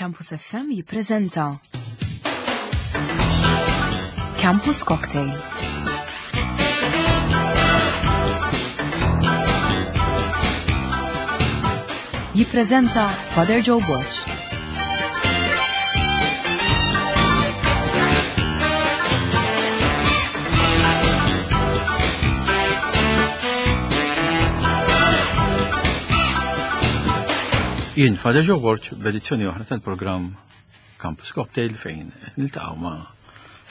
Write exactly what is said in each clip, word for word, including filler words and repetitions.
Campus F M jippreżenta Campus Cocktail. Jippreżenta Father Joe Borg. Jien Father Joe Borg b'edizzjoni oħra tal-programm Campus Cocktail fejn niltaqgħu ma'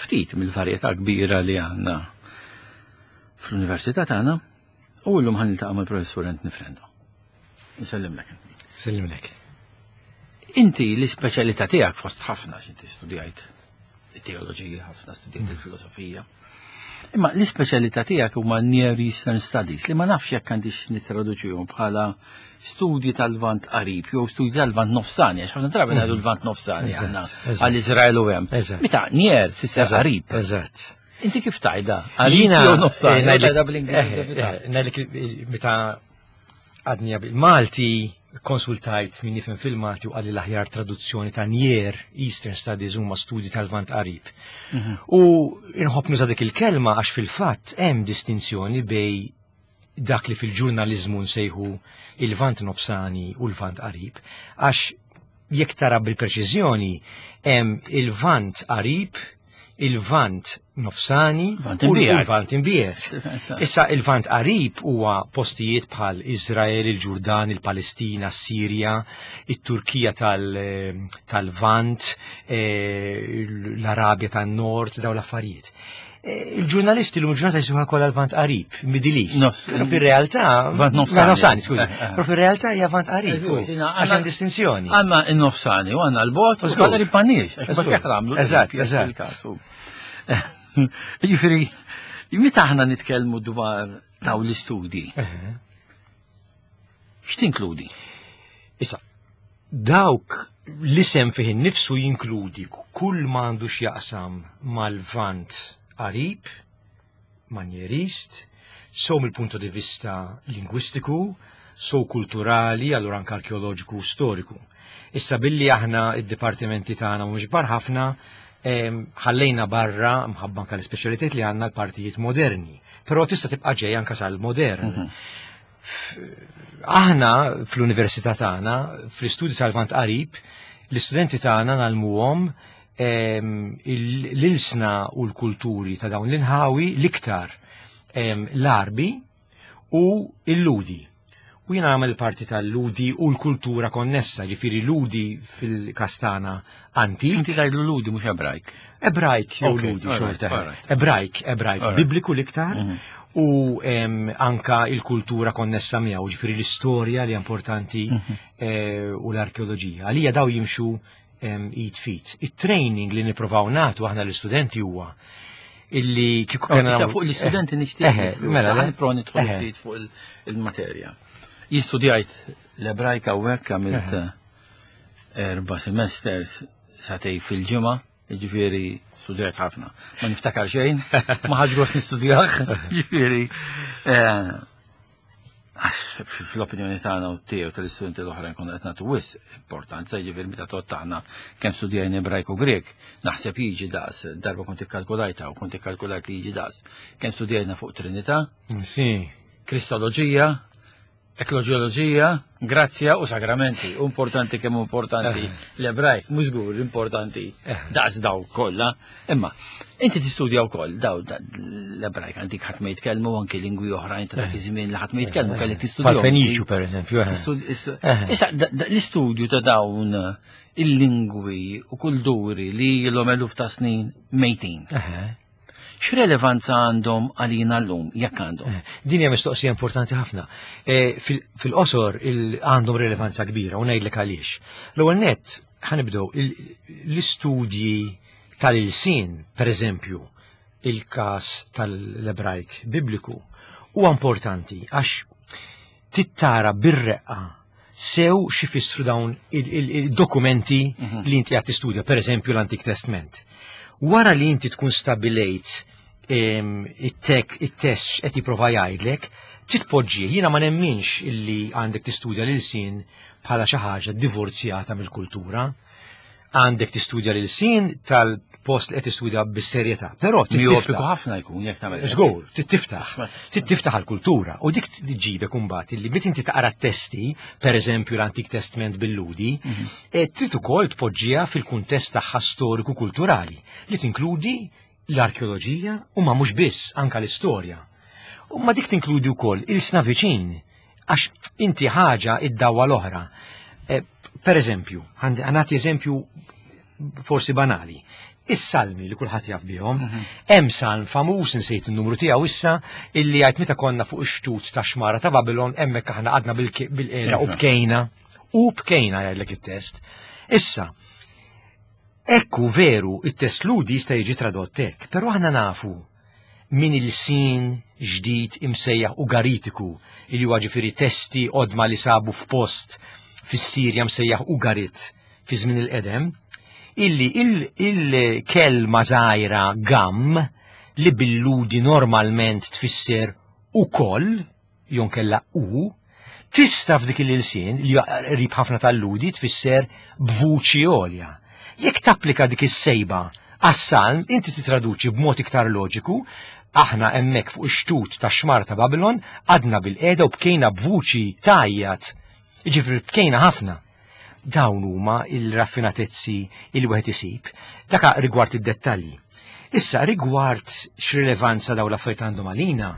ftit mill-varjetà kbira li għandna fl-università tagħna u llum ħa niltaqgħu mal-professur Anthony Frendo. Nsellimlek. Sellimlek. Inti l-ispeċjalità tiegħek fost ħafna x'inti studjajt it-teoloġija, ħafna studjajt il-filosofija. Imma l-ispeċjalità tiegħek huma Near Eastern Studies li ma nafx jekk għandix nittraduċihom bħala studji tal-Lvant qarib jew studji tal-Lvant nofsani, għax ħafna drabi ngħidu l-Lvant nofsani Eżatt, għandna eżatt. għal Iżrael u hemm. Eżatt. Meta near fisser Eżatt, qarib. Eżatt. Inti kif tgħidha? Qarib Jiena jew nofsani? eh, ngħidlek- Tgħidha bl-Ingliż, eh, kif tgħidha? eh, ngħidlek il- meta għadni bil-Malti konsultajt min jifhem fil-Malti u qalli l-aħjar traduzzjoni ta' Near Eastern Studies huma studji tal-Lvant qarib. Mhm. U inħobb nuża dik il-kelma għax fil-fatt hemm distinzjoni bejn dak li fil-ġurnalizmu nsejħu il-Lvant nofsani u l-Lvant qarib, għax jekk tara bil-preċiżjoni hemm il-Lvant qarib, il-Lvant nofsani Lvant u imbiegħed. l-Lvant imbiegħed. Issa il-Lvant qarib huwa postijiet bħal Izrael, il-Ġurdan, il-Palestina, s-Sirja, it-Turkija tal- tal-Lvant, eh, l-Arabja tan-Nord, daw l-affarijiet. Eh, Il-ġurnalisti l ġurnata jisuha kollha l-Lvant qarib, Middle East. Nofs- Però fir-realtà Lvant nofsani. Ma nofsani, skużi. Eh, eh. Però fir-realtà hija Lvant qarib. Eżatt, jiena Għax hemm distinzjoni. Għandna n-nofsani u għandna l-bogħod u Żgur. għandna rippanniex, għax Żgur. ma għamlu. Eżatt, eżatt. Jiġifieri, meta aħna nitkellmu dwar daw l-istudji, Eh. x'tinkludi? Issa, dawk l-isem fih innifsu jinkludi kull ma għandu x'jaqsam mal-Lvant qarib, man-Near East, so mill-punto di vista lingwistiku, so kulturali, allura anke arkeoloġiku u storiku. Issa billi aħna id-dipartimenti tagħna mhumiex kbar ħafna, em, ħallejna barra mħabba anke l-ispeċjalitajiet li għandna l-partijiet moderni. Però tista' tibqa' ġej anke sal-modern. Aħna fl-università tagħna, fl-istudju tal-Lvant qarib, l-istudenti tagħna ngħallmuhom em, il- l-ilsna u l-kulturi ta' dawn l-inħawi l-iktar em, l-Arbi u l-Lhudi. U jiena nagħmel parti tal-Lhudi u l-kultura konnessa, ġifieri Lhudi fil-Kastana antik, Inti tgħidlu Lhudi mhux Ebrajk. Ebrajk jew Ok, Lhudi alright, xorta. alright. Ebrajk, Ebrajk, Alright. bibliku l-iktar Mhm. u em, anka il-kultura konnessa miegħu, ġifieri l-istorja li importanti Mhm. eh, u l-arkeoloġija. Għalija daw jimxu em, id f'id. Il-training li nippruvaw nagħtu aħna l-istudenti huwa illi kieku kena Issa fuq l-istudenti nixtieq. Eh, mela, le? Nipprova nidħol Eh. ftit fuq il- il-materja. Jien studjajt l-Ebrajka u hekk għamilt Eh. erba' semesters sagħtejn fil-ġimgħa, jiġifieri studjajt ħafna. Ma niftakar xejn, ma ħadx gost nistudjah, jiġifieri. eh, Għax fl-opinjoni tagħna u tiegħu tal-istudenti l-oħra nkunu qed nagħtu wisq importanza, jiġifieri meta tgħod aħna kemm studjajna Ebrajk u Grek, naħseb jiġi daqs, darba kont ikkalkulajta u kont ikkalkulajt li jiġi daqs. Kemm studjajna fuq Trinità, Sì. Kristoloġija, ekloġioloġija, grazzja u sagramenti. U importanti kemm importanti l-Ebrajk, mhux żgur importanti Eh. daqs daw kollha. Imma inti tistudja wkoll daw da- l-Ebrajk antik ħadd ma jitkellmu anki lingwi oħrajn ta' dak iż-żmien li ħadd ma jitkellmu kellek tistudjahom. Fal-Feniċu per eżempju. eh. Tistud- istu- Eh. Issa, da- da- l-istudju ta' dawn il-lingwi u kulturi li ilhom eluf ta' snin mejtin. Eh. X'relevanza għandhom għalina llum, jekk għandhom? Eh, Din hija mistoqsija importanti ħafna. Eh, fil- Fil-qosor il- għandhom rilevanza kbira u ngħidlek għaliex. L-ewwel nett ħa nibdew il- l-istudji tal-ilsien, per eżempju, il-każ tal-Ebrajk bibliku, huwa importanti għax tittara bir-reqqa sew x'ifissru dawn il-dokumenti Mhm. li inti qed tistudja, per eżempju l-Antik Testament. Wara li inti tkun stabilejt em, it-tek it-test x'qed jipprova jgħidlek, titpoġġi, jiena ma nemminx illi għandek tistudja l-ilsien bħala xi ħaġa divorzjata mill-kultura. Għandek tistudja l-sin tal-post li qed tistudja bis-serjetà. Però Miopiku ħafna jkun jekk tagħmel. Żgur, tiftaħ, tiftaħ għall-kultura u dik tġibek imbagħad illi meta inti taqra testi, per eżempju l-Antik Testament bil-Ludi, mhm. eh, trid ukoll tpoġġiha fil-kuntest tagħha storiku kulturali li tinkludi l-arkeoloġija u ma mhux biss anka l-istorja. U ma dik tinkludi wkoll il-sna viċin għax inti ħaġa id-dawwa l-oħra. Eh, per eżempju, għanati eżempju forsi banali. Is-salmi li kulħadd jaf bihom, mhm. hemm salm famuż insejt in-numru tiegħu issa illi jgħid meta konna fuq ix-xtut ta' xmara ta' Babilon hemmhekk aħna għadna bil-qiegħda u bkejna. U bkejna jgħidlek it-test. Issa, ekku veru it-test ludi jista' jiġi tradott hekk, però aħna nafu min il-sin ġdid imsejjaħ Ugaritiku, li huwa ġifieri testi qodma li sabu f'post fis-Sirja msejjaħ Ugarit fi żmien il-qedem, illi il-kelma żgħira gam li bil-ludi normalment tfisser ukoll, jew kella u, tista' f'dik il-ilsien li qrib ħafna tal-ludi tfisser b'vuċi għolja. Jekk tapplika dik is-sejba għas-salm, inti titraduċi b'mod iktar loġiku, aħna hemmhekk fuq ix-xtut ta' xmar ta' Babilon għadna bil-qiegħda u bkejna b'vuċi tajjat. Jiġifieri bkejna ħafna. Dawn huma il-raffinatezzi il wieħed isib. Daka rigward id-dettalji. Issa rigward x'rilevanza dawn l-affarijiet għandhom għalina,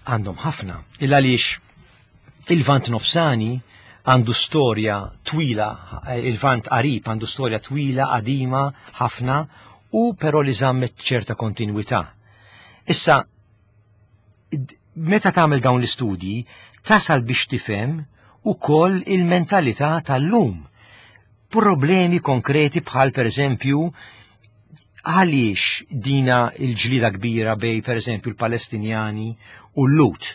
għandhom ħafna. Il għaliex il-Vant Nofsani għandu storja twila, il-Vant Qarib għandu storja twila, qadima, ħafna, u però li żammet ċerta kontinwità. Issa, meta tagħmel dawn l-istudji, tasal biex tifhem ukoll il-mentalità tal-lum. Problemi konkreti bħal per eżempju għaliex dina il-ġlida kbira bej per eżempju l-Palestinjani u l-Lut.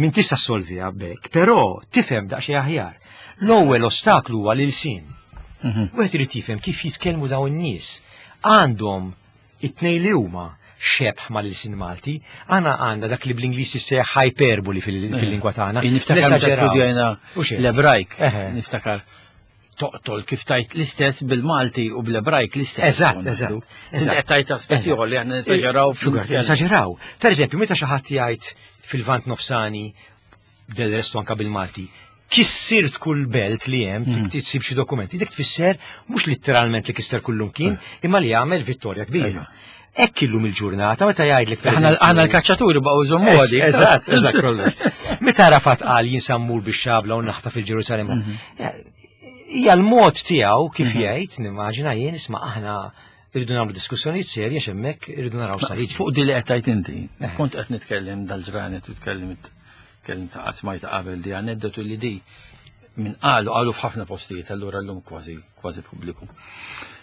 Min tista' solviha bek, però tifhem daqsxejn aħjar. L-ewwel ostaklu huwa l-ilsien. Mhm. Wieħed irid jifhem kif jitkellmu dawn in-nies. Għandhom it-tnejn li huma xebħ mal-ilsien Malti, għana għandna dak li bl-Ingliż jissejjaħ hyperboli fil-lingwa tagħna. Niftakar studjajna l-Ebrajk, niftakar toqtol kif tajt l-istess bil-Malti u bl-Ebrajk l-istess. Eżatt, eżatt. Eżatt tajt aspetti ieħor li aħna nesaġeraw. Nesaġeraw. Per eżempju, meta xi ħadd jgħid fil-Vant Nofsani, del restu anka bil-Malti, kissirt kull belt li hemm, mm. tsib xi dokumenti, dik tfisser mhux letteralment li kisser kullum kien, mm. imma li jagħmel vittorja kbira. Hekk illum il-ġurnata meta jgħidlek Aħna l-kaċċaturi baqgħu jżommu għadi. Eżatt, eżatt kollox. Meta Arafat qal jien sammur bix-xabla u naħta fil-Ġerusalem. Mhm. Hija l-mod tiegħu kif mhm. jgħid, nimmaġina jien isma' aħna irridu nagħmlu diskussjonijiet serji għax hemmhekk irridu naraw sa jiġri. Fuq di li qed tgħid inti, eh. kont qed nitkellem dal-ġranet titkellem tkellim ta' qatt smajta qabel di aneddotu li di minn qalu qalu f'ħafna postijiet allura llum kważi kważi pubbliku.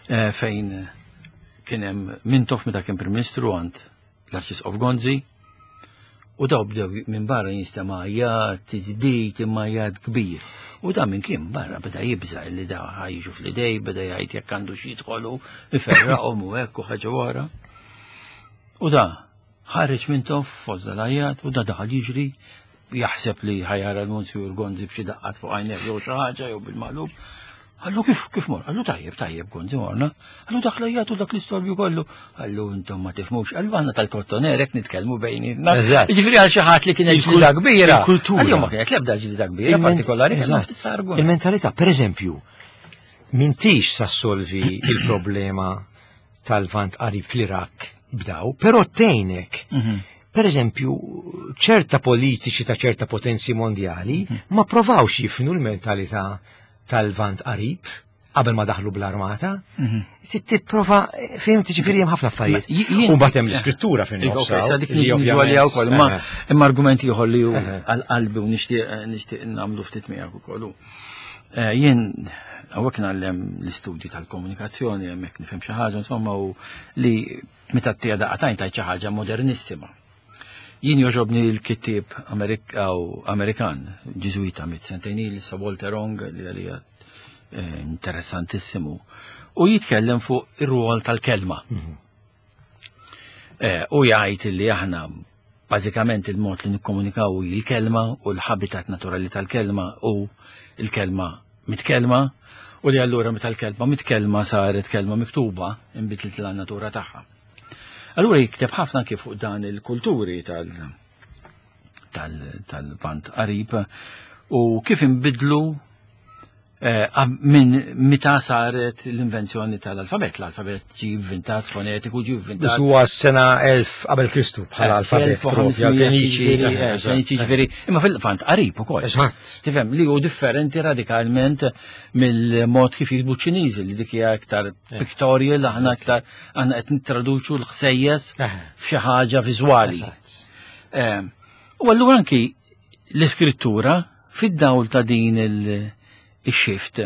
Eh, fejn kien hemm Mintoff meta kien Prim Ministru għand l-Arċisqof Gonzi u daw bdew minn barra jinstema' jgħad, tiżbit imma jgħad kbir. U da minn kien barra beda jibża' li da ħajġu fl-idej, beda jgħid jekk għandu xi jidħolu, iferraqhom u hekk u ħaġa wara. U da ħareġ Mintoff fost dal-għajjat u da daħal jiġri jaħseb li ħajara l-Monsijur Gonzi b'xi daqqat fuq għajnejh jew xi ħaġa jew bil-maqlub. Għallu kif kif mor? Għallu tajjeb, tajjeb Gonzi morna. Għallu dak l-għajjat u dak l-istorbju kollu. Għallu intom ma tifmux. Għallu għanna tal-kottoner hekk nitkellmu bejnietna. Jiġifieri għal xi ħadd li kienet ġlida kbira. Il-kultura. Għallu ma kienet l-ebda ġlida kbira partikolari, kien ftit sargu. Il-mentalità, per eżempju, mintix sa solvi il-problema tal-Vant Qarib fl-Iraq b'daw, però tgħinek. Mhm. Per eżempju, ċerta politiċi ta' ċerta potenzi mondjali mhm. ma provawx jifnu l-mentalità tal-Vant Qarib qabel ma daħlu bl-armata. Mhm. Tipprova, fim ġifieri hemm ħafna affarijiet. U mbagħad hemm l-iskrittura fin nofs. Issa dik niġu għalija wkoll, imma imma argumenti ieħor li hu għal-qalbi u nixtieq nixtieq nagħmlu ftit miegħek ukoll. Eh, jien hawnhekk ngħallem l-istudju tal-komunikazzjoni hemmhekk nifhem xi ħaġa insomma u li meta tija daqatajn tajt xi ħaġa modernissima. Jien joġobni l-kittieb Amerikan, Ġiżwita mit sentejn il sa Walter Ong li għalija eh, interessantissimu u jitkellem fuq ir-rwol tal-kelma. Mhm. Eh, u jgħid li aħna bażikament il-mod li nikkomunikaw il-kelma u l-habitat naturali tal-kelma u il-kelma mitkellma U li allura meta l-kelma mitkellma saret kelma miktuba, inbidlet la natura tagħha. Allura jikteb ħafna kif fuq dan il-kulturi tal tal-Lvant Qarib u kif inbidlu eh, minn meta saret l-invenzjoni tal-alfabet. L-alfabet ġi inventat fonetiku, ġi inventat. Huwa sena elf qabel Kristu bħala alfabet propju għal-Feniċi. Feniċi ġifieri, imma fil-Lvant Qarib ukoll. Eżatt. Tifhem li hu differenti radikalment mill-mod kif jiktbu Ċiniżi, li dik hija iktar pictorial, aħna iktar aħna qed nittraduċu l-ħsejjes f'xi ħaġa viżwali. U allura anki l-iskrittura fid-dawl ta' din il-shift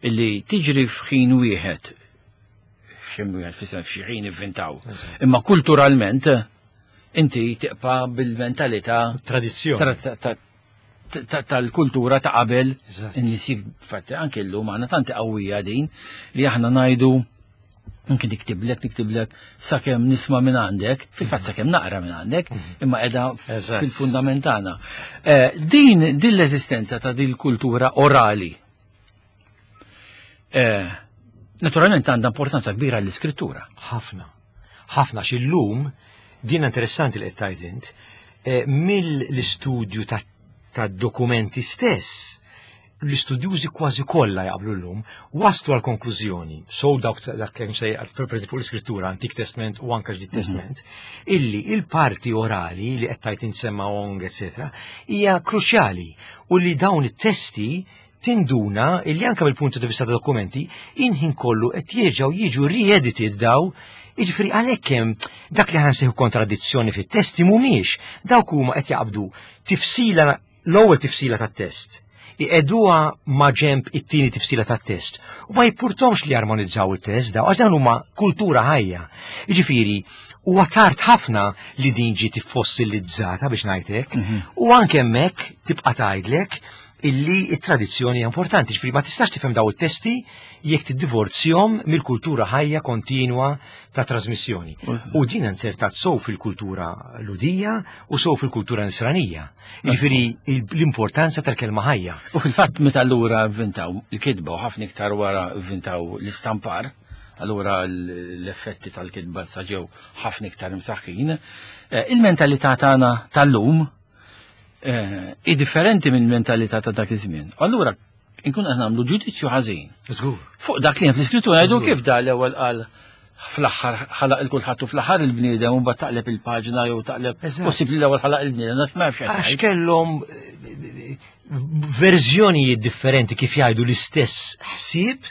illi tiġri f'ħin wieħed, f'xi wieħed fis f'xi ħin ivvintaw. Imma kulturalment inti tibqa' bil-mentalità Tradizzjoni. tal-kultura ta' qabel in-nies. Fatti anke llum għandna tanti qawwija din li aħna ngħidu anke niktiblek niktiblek sakemm nisma' minn għandek, fil-fatt sakemm naqra minn għandek, imma qiegħda fil-fundament tagħna. Din din l-eżistenza ta' din kultura orali naturalment għandha importanza kbira l-iskrittura. Ħafna. Ħafna x'illum din interessanti li qed tgħid int, mill-istudju ta' dokumenti stess, l-istudjużi kważi kollha jaqblu llum waslu għal konklużjoni, so dawk dak kemm sej per fuq l-iskrittura, Antik Testament u anke Ġdid Testament, illi il-parti orali li qed tgħid insemma ong, eċetera, hija kruċjali u li dawn it-testi tinduna illi anke mill-puntu di vista ta' dokumenti inħin kollu qed jerġgħu jiġu re-edited daw. Jiġifieri għalhekk hemm dak li ħansejħu kontradizzjoni fit-testi, mhumiex dawk, huma qed jaqbdu tifsila, l-ewwel tifsila tat-test, iqegħduha ma' ġemb it-tieni tifsila tat-test u ma jippurtomx li jarmonizzaw it-test daw, għax dan huma kultura ħajja. Jiġifieri huwa tard ħafna li din ġiet iffossilizzata, biex ngħidlek, u anke hemmhekk tibqa' tgħidlek illi it-tradizzjoni hija importanti, ġifieri ma tistax tifhem daw it-testi jekk tiddivorzjom mill-kultura ħajja kontinwa ta' trasmissjoni. U din insertat sow fil-kultura Lhudija u sow fil-kultura Nisranija. Jiġifieri l-importanza tal-kelma ħajja. U fil-fatt meta allura inventaw il-kitba u ħafna iktar wara inventaw l-istampar, allura l-effetti tal-kitba sa ġew ħafna iktar imsaħħin, eh, il-mentalità tagħna tal-lum eh, i differenti minn mentalità ta' dak iż-żmien. Allura inkun qed nagħmlu ġudizzju ħażin. Żgur. Fuq dak li hemm fl-iskrittura ngħidu kif da l-ewwel qal fl-aħħar ħalaq il kulħadd u fl-aħħar il-bniedem, u mbagħad taqleb il-paġna jew taqleb Eżatt. possibbli l-ewwel ħalaq il-bniedem, dak ma nafx. Għax kellhom eh, verżjonijiet differenti kif jgħidu l-istess ħsieb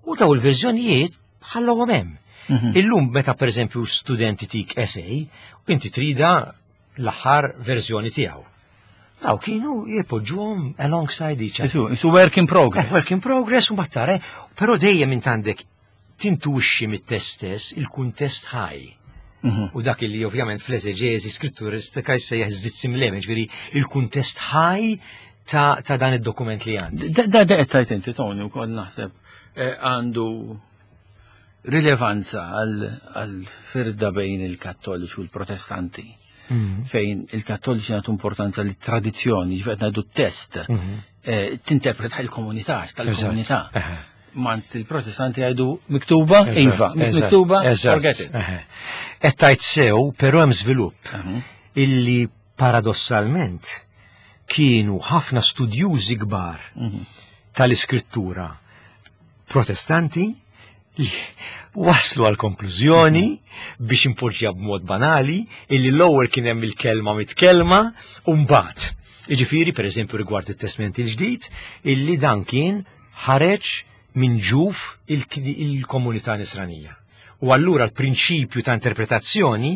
u daw il-verżjonijiet ħallawhom hemm. Mhm. Illum meta pereżempju studenti tik essay, inti trida l-aħħar verżjoni tiegħu. Daw kienu jipoġġuhom alongside each other. Isu, isu work in progress. Eh, work in progress u battare, però dejjem int għandek tintuixxi mit-test stess il-kuntest ħaj. Mhm. U dak li ovvjament fl-eżeġeżi skritturistika jsejjaħ żitt ġifieri il-kuntest ħaj ta', ta' dan id-dokument li għandi. Da da da qed tgħid inti, Tony, wkoll naħseb eh, għandu rilevanza għal firda bejn il-Kattoliċi u l-Protestanti. Fejn il-Kattoliċi nagħtu importanza li tradizzjoni, ġifieri ngħidu test, eh, tinterpreta il-komunità, tal-komunità. Mant il-Protestanti jgħidu miktuba, iva, miktuba, forget it. Qed tgħid sew, però hemm żvilupp Mhm. illi paradossalment kienu ħafna studjużi kbar Mhm. tal-iskrittura Protestanti li waslu għal konklużjoni, biex impoġġja b'mod banali, illi l-ewwel kien hemm il-kelma mitkellma u mbagħad. Jiġifieri, pereżempju, rigward it-Testament il-Ġdid, illi dan kien ħareġ minn ġuf il-komunità Nisranija. U allura l-prinċipju ta' interpretazzjoni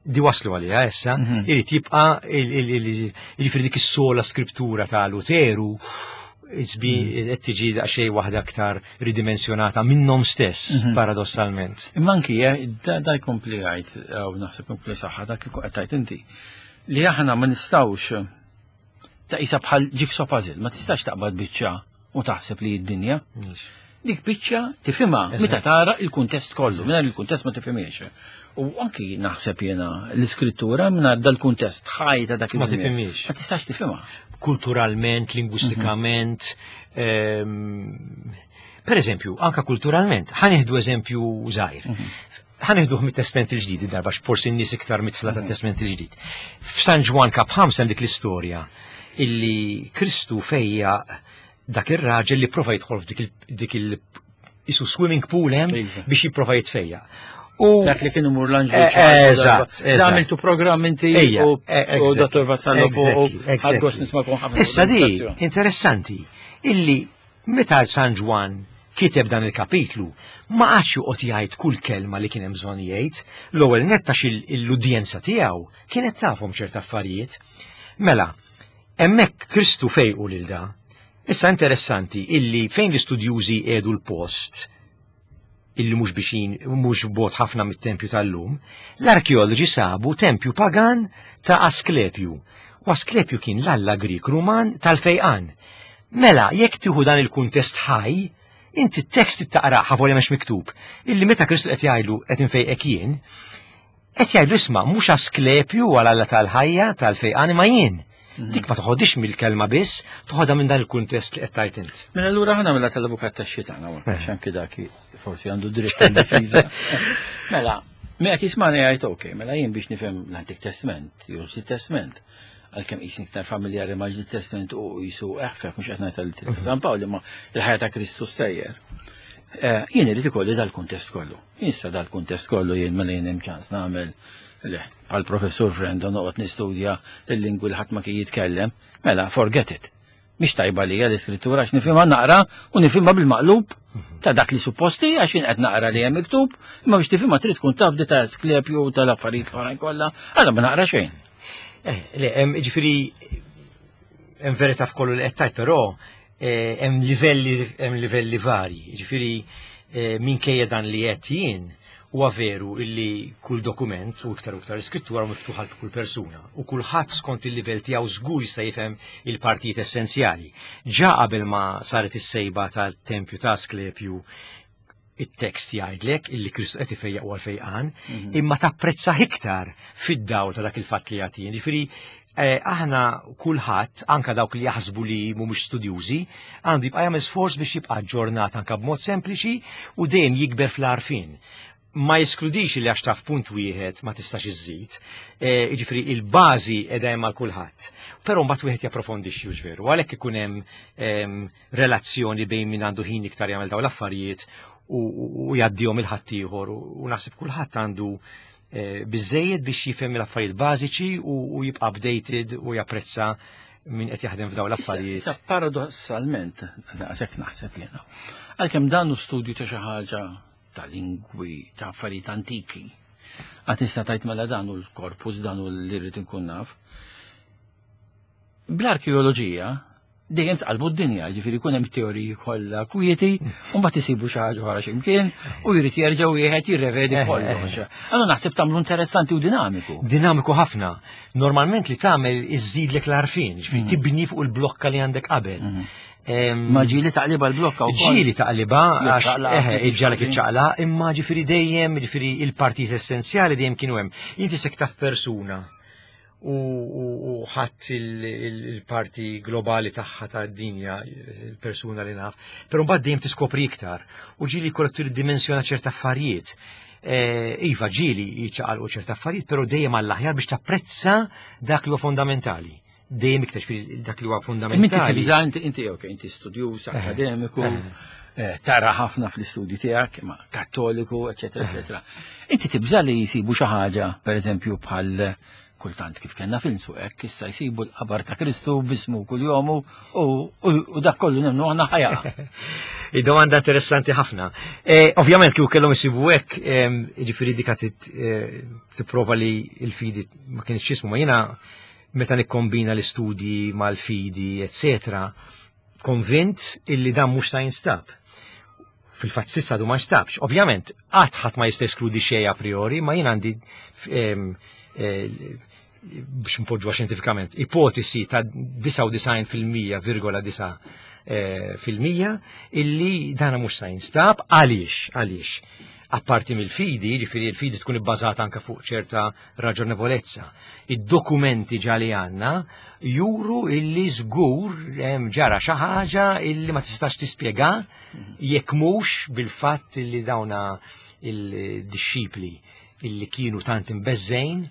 di waslu għalija issa, Mhm. irid jibqa' jiġifieri dik is-sola scriptura ta' Luteru isbi qed tiġi daqsxejn waħda aktar ridimensjonata minnhom stess, Mhm. paradossalment. Imma anki eh, da da jkompli għajt, għaw naħseb jkompli saħħa dak li qed tgħid inti, li aħna ma nistgħux ta' isa bħal jigsaw puzzle, ma tistax taqbad biċċa u taħseb li d-dinja. Dik biċċa tifhimha meta tara il-kuntest kollu, mingħajr il-kuntest ma tifhimiex. U anki naħseb jiena l-iskrittura mingħajr dal-kuntest ħaj ta' dak Ma iż-żmien. tifhimiex. Ma tistax tifhimha. Kulturalment, lingwistikament, ehm, per eżempju, anka kulturalment, ħa nieħdu eżempju żgħir. Ħa nieħduh mit-Testament il-Ġdid darba, forsi n-nies iktar midħla tat-Testament il-Ġdid. F'San Ġwann kap ħamsa hemm dik l-istorja illi Kristu fejjaq dak ir-raġel li prova jidħol f'dik il- dik il isu swimming pool hemm Iva. biex jipprova jitfejjaq. U Dak li kienu mur l-anġlu. Eh, eżatt, eżatt. Għamiltu programm inti Ejja, u eh, u exactly, Dottor Vassallo u exactly, exactly. ħadt gost nismakom ħafna. Issa di, interessanti, illi meta San Ġwann kiteb dan il-kapitlu, ma qagħadx joqgħod jgħid kull kelma li kien hemm bżonn jgħid, l-ewwel nett għax l-udjenza tiegħu kienet tafhom ċerta affarijiet. Mela, hemmhekk Kristu fejqu lil da. Issa interessanti illi fejn l-istudjużi qiegħdu l-post illi mhux bixin, mhux bogħod ħafna mit-tempju tal-lum, l-arkeoloġi sabu tempju pagan ta' Asklepju. U Asklepju kien l-alla Grik Ruman tal-fejqan. Mela, jekk tieħu dan il-kuntest ħaj, inti t-tekst taqra ħavolja mhux miktub, illi meta Kristu qed jgħidlu qed infejqek jien, qed jgħidlu isma' mhux Asklepju għal alla tal-ħajja tal-fejqan imma jien. Dik ma toħodix mill-kelma biss, toħodha minn dan il-kuntest li qed tgħid int. Mela allura ħana mela tal-avukat tax-xitan, għax anki dak forsi għandu dritt tal-difiża. Mela, mela jismani jgħid ok, mela jien biex nifhem l-Antik Testament, jew l Testament, għalkemm qisni iktar familjari ma' ġdid Testament u jisu eħfef mhux qed ngħid tal San Pawl imma il-ħajja ta' Kristu stejjer. Eh, Jien irid ikolli dal-kuntest kollu. Issa dal-kuntest kollu jien mela jien hemm ċans nagħmel le, bħal professur Frendo noqgħod nistudja il-lingwi li ħadd ma kien jitkellem, mela forget it. Mhix tajba li l-iskrittura għax nifhimha naqra u nifhimha bil-maqlub ta' dak li supposti għax jien qed naqra li hemm miktub, imma biex tifhimha trid tkun taf di ta' Asklepju u tal-affarijiet l-oħrajn kollha, għala ma naqra xejn. Eh, le, hemm ġifieri hemm verità f'kollu li qed tgħid, però eh, hemm livelli hemm livelli varji. Ġifieri eh, minkejja dan li qed jien huwa veru illi kull dokument u iktar u iktar iskrittura miftuħa għal kull persuna u kulħadd skont il-livell tiegħu żgur jista' jifhem il-partijiet essenzjali. Ġa qabel ma saret is-sejba tal-tempju ta' Asklepju it-tekst jgħidlek illi Kristu qed ifejjaq u għal-fejqan, imma tapprezza iktar fid-dawl ta' dak il-fatt li jagħti. Ġifieri eh, aħna kulħadd, anka dawk li jaħsbu li mhumiex studjużi, għandu jibqa' jagħmel sforz biex jibqa' aġġornat anka b'mod sempliċi u dejjem jikber fl-għarfien. Ma jeskludix li għax taf punt wieħed ma tistax iżżid, eh, jiġifieri il-bażi qiegħda hemm għal kulħadd. Però mbagħad wieħed japprofondixxi hux veru, għalhekk ikun hemm em, relazzjoni bejn min għandu ħin iktar jagħmel dawn l-affarijiet u, u, u jgħaddihom lil ħaddieħor u, u naħseb kulħadd għandu eh, biżejjed biex jifhem l-affarijiet bażiċi u, u jibqa' updated u japprezza min qed jaħdem f'dawn l-affarijiet. Issa paradossalment, daqshekk naħseb jiena. Għalkemm dan hu studju ta' xi ħaġa ta' lingwi, ta' affarijiet antiki. Għad tista' tgħid mela dan hu l-korpus, dan hu li rrid inkun naf. Bl-arkeoloġija dejjem tqalbu d-dinja, ġifieri jkun hemm teoriji kollha kwieti, u mbagħad isibu xi ħaġa oħra x'imkien u jrid jerġa' wieħed jirrevedi Eh, kollox. Allura naħseb tagħmlu interessanti u dinamiku. Dinamiku ħafna. Normalment li tagħmel iżżidlek l-għarfien, ġifieri tibni fuq il-blokka li għandek qabel. Em, Ma ġieli taqliba l-blokka wkoll. Ġieli taqliba, għax Jiċċaqlaq, eħe, iġġalek ħażin. iċċaqla, imma ġifieri dejjem, ġifieri il-partijiet essenzjali dejjem kienu hemm. Inti sek taf persuna u, u, u ħadd il-parti globali tagħha tad-dinja, il-persuna li naf, però mbagħad dejjem tiskopri iktar u ġieli jkollok tiddimensjona ċerta affarijiet. Eh, Iva, ġieli jiċċaqalqu ċerta affarijiet, però dejjem għall-aħjar biex tapprezza dak li huwa fondamentali. Dejjem iktar ġifieri dak li huwa Inti fondamentali. tibża, inti, inti, ok, inti studjuż, akademiku, eh, tara ħafna fl-istudji tiegħek, ma kattoliku, eċetera, eċetera. Inti tibża li jisibu xi ħaġa, per eżempju, bħal kultant kif kellna film fuq hekk, issa jsibu l-qabar ta' Kristu bismu kull-jomu u, u, u dak kollu nemnu għandna ħajja. Id-domanda interessanti ħafna. Eh, Ovvjament kieku kellhom isibu hekk, em, ġifieri dika tit- eh, tipprova li l-fidi ma kienx jismu, ma jiena meta nikkombina l-istudji mal-fidi, eccetera, konvint illi dan mhux sa jinstab. Fil-fatt s'issa għadu ma nstabx. Ovvjament, qatt ħadd ma jista' eskludi xejn a priori, ma jien għandi em, eh, biex npoġġuha xjentifikament, ipotesi ta' disgħa u disgħin fil-mija virgola disgħa eh, fil-mija illi dana mhux sa jinstab. Għaliex, għaliex apparti mill-fidi, ġifieri il-fidi tkun ibbażata anka fuq ċerta raġonevolezza. Id-dokumenti ġa li għandna juru illi żgur hemm ġara xi ħaġa illi ma tistax tispjega jekk mhux bil-fatt illi dawna il-dixxipli illi kienu tant imbeżżgħin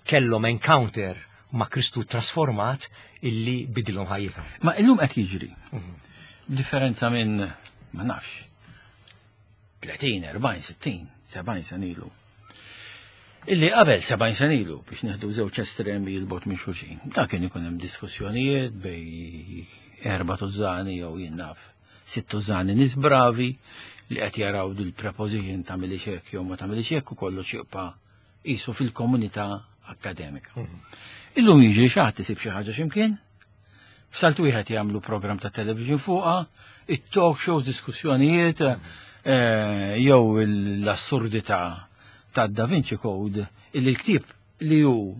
kellhom encounter ma' Kristu trasformat illi bidilhom ħajjithom. Ma illum qed jiġri. Differenza minn, ma nafx, tletin, erbgħin, sittin, sebgħin sena ilu. Illi qabel sebgħin sena ilu, biex neħdu żewġ estremi 'l bogħod minn xulxin. Da kien ikun hemm diskussjonijiet bejn erba' tużani jew jien naf sitt tużani nies bravi li qed jaraw dil-preposition ta' hekk jew ma tagħmilx hekk u kollox jibqa' qisu fil-komunità akademika. Illum jiġri xi ħadd isib xi ħaġa x'imkien, f'salt wieħed jagħmlu programm ta' television fuqha, it-talk shows, diskussjonijiet, eh, jew l-assurdità ta' Da Vinci Code, illi l-ktieb li hu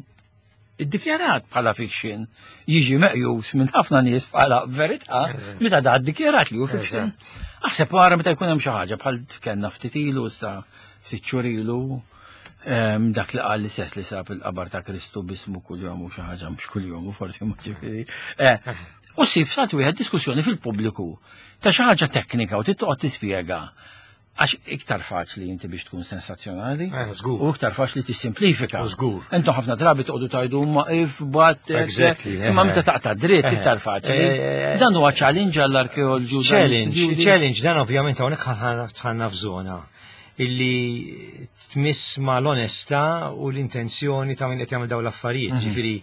iddikjarat bħala fiction jiġi meqjus minn ħafna nies bħala verità meta da ddikjarat li hu fiction. Aħseb wara meta jkun hemm xi ħaġa bħal kellna ftit ilu, sa ftit xhur ilu, em, dak li qal li sess li sab il-qabar ta' Kristu bismu kuljum u xi ħaġa mhux kuljum u forsi ma ġifieri. Eh, U ssib salt wieħed diskussjoni fil-pubbliku ta' xi ħaġa teknika u tittoqgħod tispjega, għax iktar faċli inti biex tkun sensazzjonali Eh, żgur. u iktar faċli tissimplifika. U żgur. Intom ħafna drabi toqgħodu tajdu ma if but Exactly, imma eh. meta taqta' dritt Eh, iktar faċli. eh, Dan huwa challenge għall-arkeoloġu. Dan Challenge, l-istudju. challenge, dan ovvjament hawnhekk ħanna f'żona illi tmiss ma l-onestà u l-intenzjoni ta' min qed jagħmel dawn l-affarijiet. Ġifieri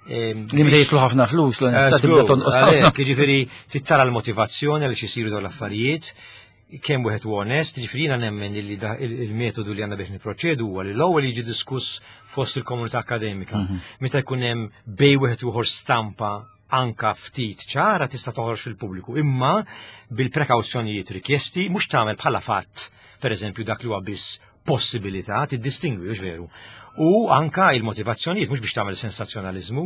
ehm, Li meta jitlu ħafna flus l-onestà Eh, tibda żgur, tonqos ħafna. għalhekk, ġifieri tittara l-motivazzjoni għaliex isiru dawn l-affarijiet, kemm wieħed u onest, ġifieri jiena nemmen li da- il- il-metodu li għandna biex niproċedu huwa li l-ewwel jiġi diskuss fost il-komunità akademika. Meta jkun hemm bej wieħed u ieħor stampa anka ftit ċara tista' toħroġ fil-pubbliku, imma bil-prekawzjonijiet rikjesti, mhux tagħmel bħala fatt, pereżempju dak li huwa biss possibilità, tiddistingwi, hux veru. U anka il-motivazzjonijiet mhux biex tagħmel sensazzjonaliżmu,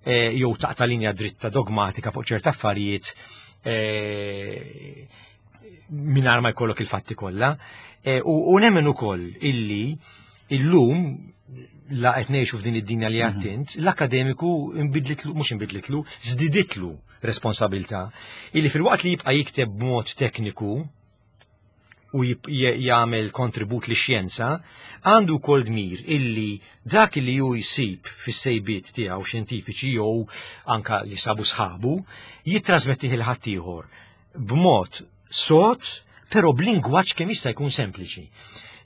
eh, jew taqta' linja dritta dogmatika fuq ċerta affarijiet eh, mingħajr ma jkollok il-fatti kollha. Eh, U, u nemmen ukoll illi illum la qed ngħixu f'din id-dinja li għattint, l-akademiku imbidlitlu, mhux imbidlitlu, żdiditlu responsabilità illi filwaqt li jibqa' jikteb b'mod tekniku u jib- j- jagħmel kontribut li xjenza, għandu wkoll dmir illi dak li ju jsib fis-sejbiet tiegħu xjentifiċi jew anka li sabu sħabu, jittrasmettih lil ħaddieħor b'mod sod, però b'lingwaġġ kemm jista' jkun sempliċi.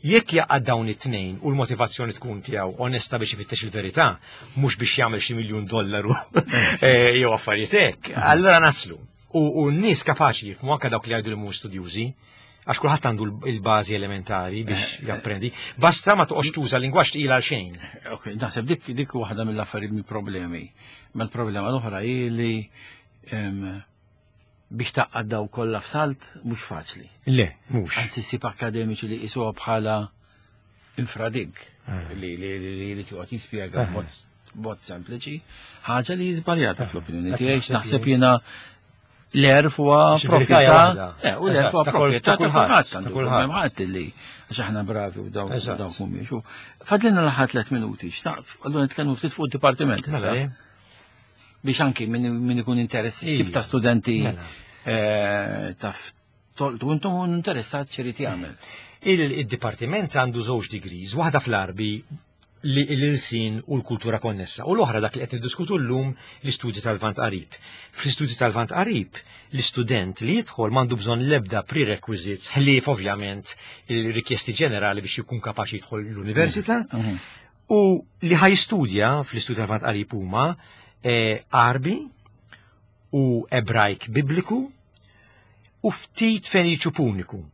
Jekk jaqgħad dawn it-tnejn u l-motivazzjoni tkun tiegħu onesta biex ifittex il-verità, mhux biex jagħmel xi miljun dollaru eh, jew affarijiet hekk, allura naslu. U, u n-nies kapaċi jifhmu, anke dawk li jgħidu li mhux studjużi, għax kulħadd għandu l- il-bażi elementari biex japprendi. Basta ma toqgħodx tuża lingwaġġ tqil għal xejn. Ok, naħseb dik dik waħda mill-affarijiet, mill-problemi. Ma l-problema l-oħra hi li em, biex taqgħad daw kollha f'salt mhux faċli. Le, mhux. Anzi ssib akademiċi li jqisuha bħala infradig li li li li jrid joqgħod jispjega b'mod b'mod sempliċi, ħaġa li żbaljata fl-opinjoni tiegħi. Naħseb jiena l-għerf huwa Xi verità hija proprjetà. waħda. Eh, u l-għerf huwa Eżatt, ta' kull- proprjetà ta' ta' kulħadd, kulħadd, ta' għandu kulħadd. hemm ħadd li għax aħna bravi u dawk Eżatt. dawk mhumiex. U Fadlilna l-aħħar tliet minuti, xtaq, allura nitkellmu ftit fuq id-dipartiment Mela, issa. eh? Biex anki min min ikun interessi, Ija. tip ta' studenti Mela. eh, taf toltu intom interessat x'irid jagħmel. Il-dipartiment għandu żewġ degrees, waħda fl-Arbi li l-ilsin u l-kultura konnessa, u l-oħra dak li qed niddiskutu llum, l-istudji tal-Lvant Qarib. Fl-istudji tal-Lvant Qarib, l-istudent li jidħol m'għandu bżonn l-ebda prerequisites, ħlief ovvjament il-rikjesti ġenerali biex jkun kapaċi jidħol l-università, u li ħa jistudja fl-istudji tal-Lvant Qarib huma eh, Arbi u Ebrajk Bibliku u ftit Feniċu Puniku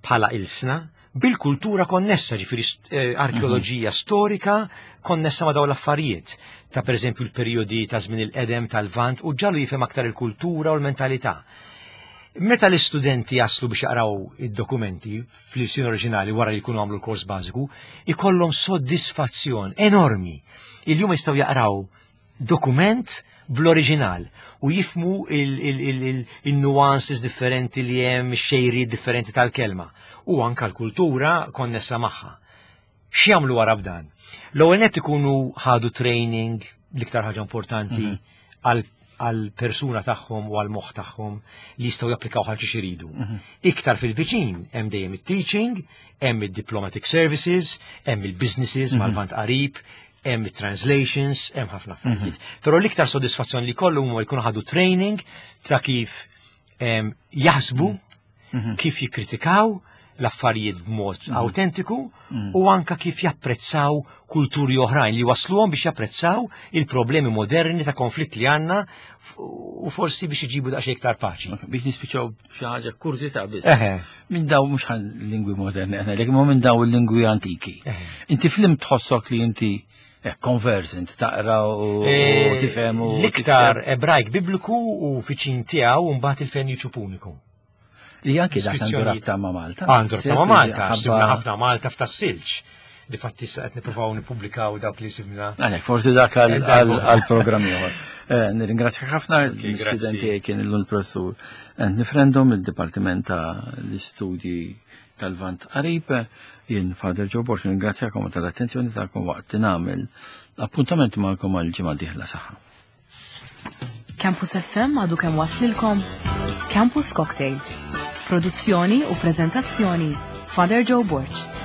bħala ilsna bil-kultura konnessa, ġifieri eh, arkeoloġija storika konnessa ma' dawn l-affarijiet. Ta' per eżempju l-perjodi ta' żmien il-qedem tal-Lvant u ġalu jifhem aktar il-kultura u l-mentalità. Meta l-istudenti jaslu biex jaqraw id-dokumenti fl-ilsien oriġinali wara li jkunu għamlu l-kors bażiku, ikollhom soddisfazzjon enormi. Il-jum jistgħu jaqraw dokument bl-oriġinal u jifhmu il-nuances differenti li hemm, xejri differenti tal-kelma u anka l-kultura konnessa magħha. X'jagħmlu wara b'dan? L-ewwel nett ikunu ħadu training, l-iktar ħaġa importanti mhm. għal għal persuna tagħhom u għal moħħ tagħhom li jistgħu japplikaw għal xi jridu. Mhm. Iktar fil-viċin hemm dejjem it-teaching, hemm id-diplomatic services, hemm il-businesses mhm. mal-Lvant Qarib, hemm it-translations, hemm ħafna affarijiet. Però l-iktar sodisfazzjon li kollu huma jkunu ħadu training ta' kif jaħsbu, kif jikkritikaw l-affarijiet b'mod mm. autentiku mm. u anka kif japprezzaw kulturi oħrajn li wasluhom biex japprezzaw il-problemi moderni ta' konflitt li għandna u forsi biex iġibu daqsxejn iktar paċi. Biex nispiċaw xi ħaġa kurżità biss. Minn daw mhux lingwi moderni aħna, ma minn daw il-lingwi antiki. Inti flim tħossok li inti eh, conversant, taqra u eh, tifhem u l-iktar Ebrajk bibliku u viċin tiegħu, mbagħad il-Feniċu Puniku. Li anki dak għandu rabta ma' Malta. Għandu rabta ma' Malta, sibna ħafna Malta f'Tas-Silġ. Difatti sa qed nippruvaw nippubblikaw dawk li sibna. Għalek, forsi dak għal-programm ieħor. Eh, nirringrazzja ħafna l-istudenti, kien illum il-professur Nifrendom, il-Dipartiment ta' l-Istudji tal-Lvant Qarib. Jien Father Joe Borg, nirringrazzjakom tal-attenzjoni tagħkom waqt nagħmel appuntament magħkom għal ġimgħa dieħla. Saħħa. Campus F M għadu kemm waslilkom Campus Cocktail. Produzzjoni u prezentazzjoni, Father Joe Borg.